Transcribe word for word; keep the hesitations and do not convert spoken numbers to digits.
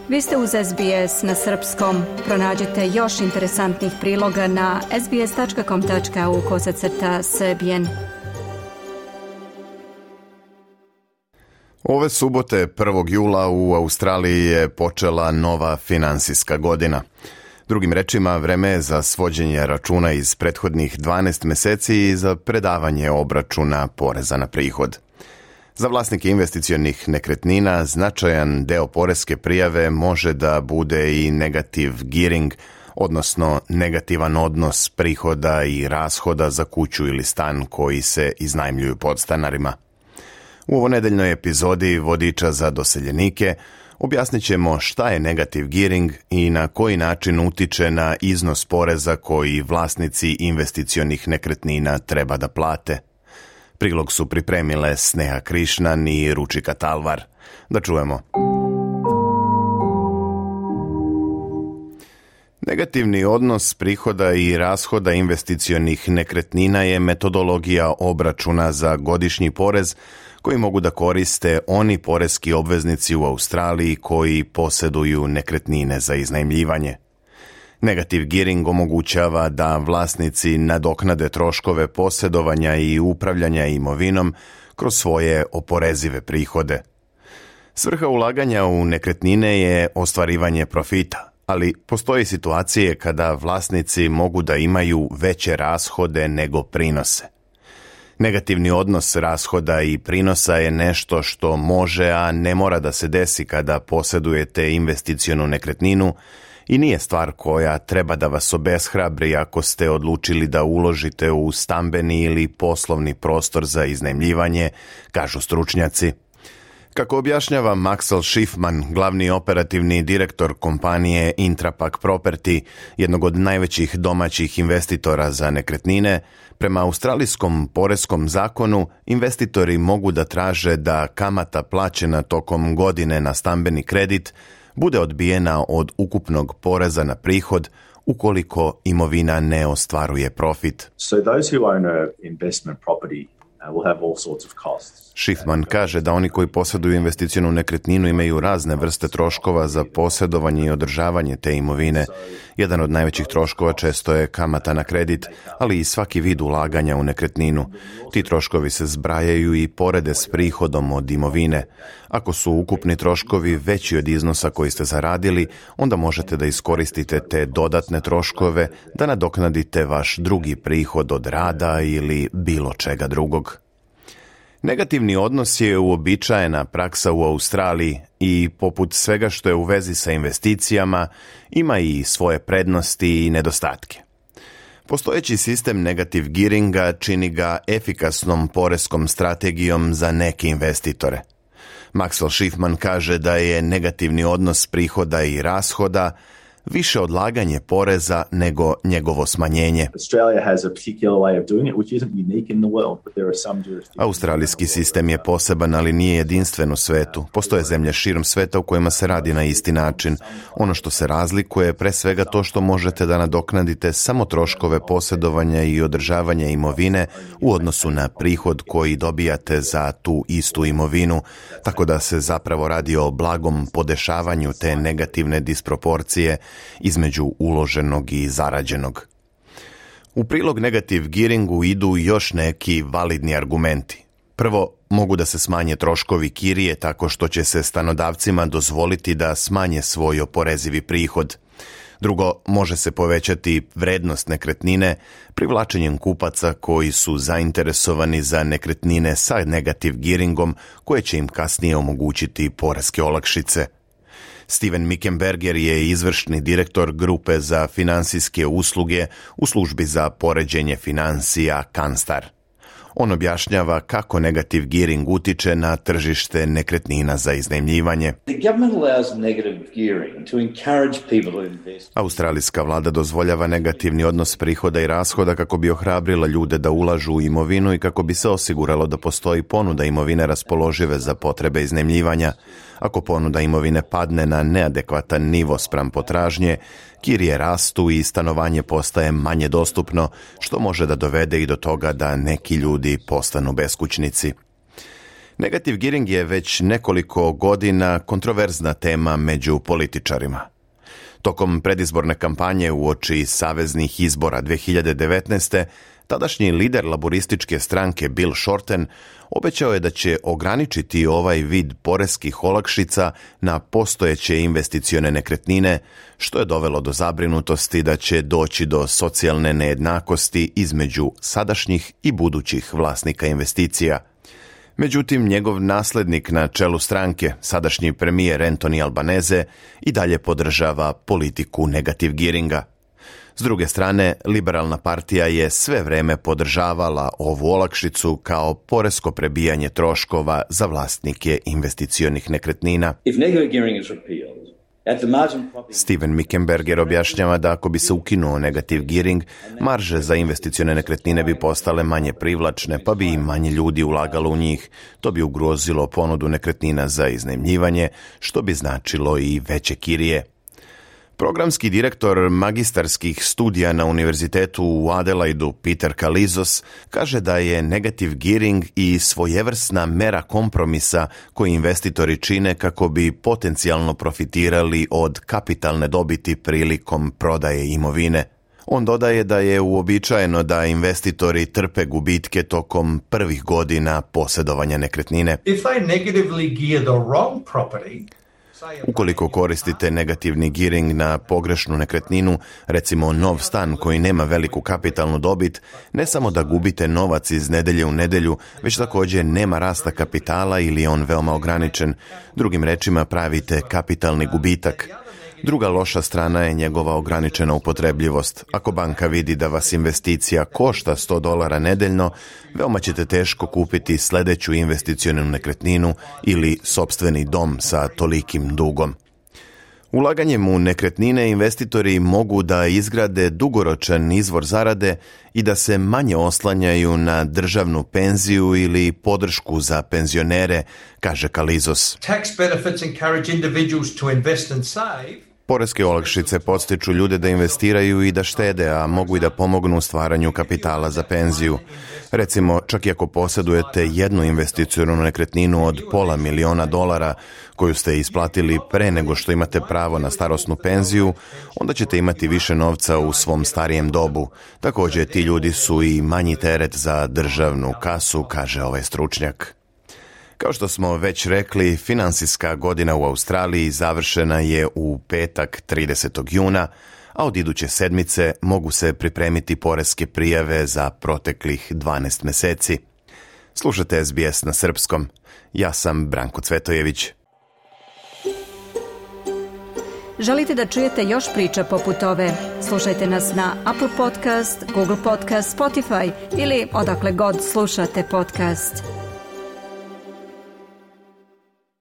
Vi ste uz S B S na srpskom. Pronađite još interesantnih priloga na sbs.com.au kosacrta srbijen. Ove subote prvog jula u Australiji je počela nova finansijska godina. Drugim rečima, vreme je za svođenje računa iz prethodnih dvanaest meseci i za predavanje obračuna poreza na prihod. Za vlasnike investicionih nekretnina značajan deo poreske prijave može da bude i negative gearing, odnosno negativan odnos prihoda i rashoda za kuću ili stan koji se iznajmljuju podstanarima. U ovonedeljnoj epizodi Vodiča za doseljenike objasnit ćemo šta je negative gearing i na koji način utiče na iznos poreza koji vlasnici investicionih nekretnina treba da plate. Prilog su pripremile Sneha Krišnan i Ručika Talvar. Da čujemo. Negativni odnos prihoda i rashoda investicionih nekretnina je metodologija obračuna za godišnji porez koji mogu da koriste oni poreski obveznici u Australiji koji posjeduju nekretnine za iznajmljivanje. Negative gearing omogućava da vlasnici nadoknade troškove posjedovanja i upravljanja imovinom kroz svoje oporezive prihode. Svrha ulaganja u nekretnine je ostvarivanje profita, ali postoje situacije kada vlasnici mogu da imaju veće rashode nego prinose. Negativni odnos rashoda i prinosa je nešto što može, a ne mora da se desi kada posjedujete investicionu nekretninu i nije stvar koja treba da vas obeshrabri ako ste odlučili da uložite u stambeni ili poslovni prostor za iznajmljivanje, kažu stručnjaci. Kako objašnjava Maxwell Schiffman, glavni operativni direktor kompanije Intrapac Property, jednog od najvećih domaćih investitora za nekretnine, prema australijskom poreskom zakonu investitori mogu da traže da kamata plaćena tokom godine na stambeni kredit bude odbijena od ukupnog poreza na prihod ukoliko imovina ne ostvaruje profit. So those who own a investment property will have all sorts of costs. Schiffman kaže da oni koji posjeduju investicionu nekretninu imaju razne vrste troškova za posjedovanje i održavanje te imovine. Jedan od najvećih troškova često je kamata na kredit, ali i svaki vid ulaganja u nekretninu. Ti troškovi se zbrajaju i porede s prihodom od imovine. Ako su ukupni troškovi veći od iznosa koji ste zaradili, onda možete da iskoristite te dodatne troškove da nadoknadite vaš drugi prihod od rada ili bilo čega drugog. Negativni odnos je uobičajena praksa u Australiji i poput svega što je u vezi sa investicijama ima i svoje prednosti i nedostatke. Postojeći sistem negative gearinga čini ga efikasnom poreskom strategijom za neke investitore. Maxwell Schiffman kaže da je negativni odnos prihoda i rashoda više odlaganje poreza nego njegovo smanjenje. Australijski sistem je poseban, ali nije jedinstven u svetu. Postoje zemlje širom sveta u kojima se radi na isti način. Ono što se razlikuje je pre svega to što možete da nadoknadite samo troškove posjedovanja i održavanja imovine u odnosu na prihod koji dobijate za tu istu imovinu, tako da se zapravo radi o blagom podešavanju te negativne disproporcije između uloženog i zarađenog. U prilog negative gearingu idu još neki validni argumenti. Prvo, mogu da se smanje troškovi kirije tako što će se stanodavcima dozvoliti da smanje svoj oporezivi prihod. Drugo, može se povećati vrednost nekretnine privlačenjem kupaca koji su zainteresovani za nekretnine sa negative gearingom koje će im kasnije omogućiti poreske olakšice. Steven Mickenberger je izvršni direktor grupe za finansijske usluge u službi za poređenje financija Canstar. On objašnjava kako negative gearing utiče na tržište nekretnina za iznajmljivanje. Australijska vlada dozvoljava negativni odnos prihoda i rashoda kako bi ohrabrila ljude da ulažu u imovinu i kako bi se osiguralo da postoji ponuda imovine raspoložive za potrebe iznajmljivanja. Ako ponuda imovine padne na neadekvatan nivo spram potražnje, kirije rastu i stanovanje postaje manje dostupno, što može da dovede i do toga da neki ljudi postanu beskućnici. Negative gearing je već nekoliko godina kontroverzna tema među političarima. Tokom predizborne kampanje uoči saveznih izbora dvije hiljade devetnaeste. tadašnji lider laborističke stranke Bill Shorten obećao je da će ograničiti ovaj vid poreskih olakšica na postojeće investicione nekretnine, što je dovelo do zabrinutosti da će doći do socijalne nejednakosti između sadašnjih i budućih vlasnika investicija. Međutim, njegov naslednik na čelu stranke, sadašnji premijer Anthony Albanese, i dalje podržava politiku negative gearinga. S druge strane, liberalna partija je sve vreme podržavala ovu olakšicu kao poresko prebijanje troškova za vlasnike investicionih nekretnina. If negative gearing is repealed, at the margin property... Steven Mickenberger objašnjava da ako bi se ukinuo negative gearing, marže za investicione nekretnine bi postale manje privlačne, pa bi i manje ljudi ulagalo u njih. To bi ugrozilo ponudu nekretnina za iznajmljivanje, što bi značilo i veće kirije. Programski direktor magistarskih studija na univerzitetu u Adelaidu, Peter Kalizos, kaže da je negative gearing i svojevrsna mera kompromisa koji investitori čine kako bi potencijalno profitirali od kapitalne dobiti prilikom prodaje imovine. On dodaje da je uobičajeno da investitori trpe gubitke tokom prvih godina posjedovanja nekretnine. If they negatively gear the wrong property, ukoliko koristite negativni gearing na pogrešnu nekretninu, recimo nov stan koji nema veliku kapitalnu dobit, ne samo da gubite novac iz nedelje u nedelju, već također nema rasta kapitala ili je on veoma ograničen. Drugim rečima, pravite kapitalni gubitak. Druga loša strana je njegova ograničena upotrebljivost. Ako banka vidi da vas investicija košta sto dolara nedeljno, veoma ćete teško kupiti sljedeću investicionu nekretninu ili sopstveni dom sa tolikim dugom. Ulaganjem u nekretnine investitori mogu da izgrade dugoročan izvor zarade i da se manje oslanjaju na državnu penziju ili podršku za penzionere, kaže Kalizos. tax benefits encourage individuals to invest and save. Poreske olakšice podstiču ljude da investiraju i da štede, a mogu i da pomognu u stvaranju kapitala za penziju. Recimo, čak i ako posjedujete jednu investicionu nekretninu od pola miliona dolara koju ste isplatili pre nego što imate pravo na starosnu penziju, onda ćete imati više novca u svom starijem dobu. Također, ti ljudi su i manji teret za državnu kasu, kaže ovaj stručnjak. Kao što smo već rekli, finansijska godina u Australiji završena je u petak tridesetog juna, a od iduće sedmice mogu se pripremiti poreske prijave za proteklih dvanaest mjeseci. Slušate S B S na srpskom. Ja sam Branko Cvetojević. Želite da čujete još priča poput ove? Slušajte nas na Apple Podcast, Google Podcast, Spotify ili odakle god slušate podcast.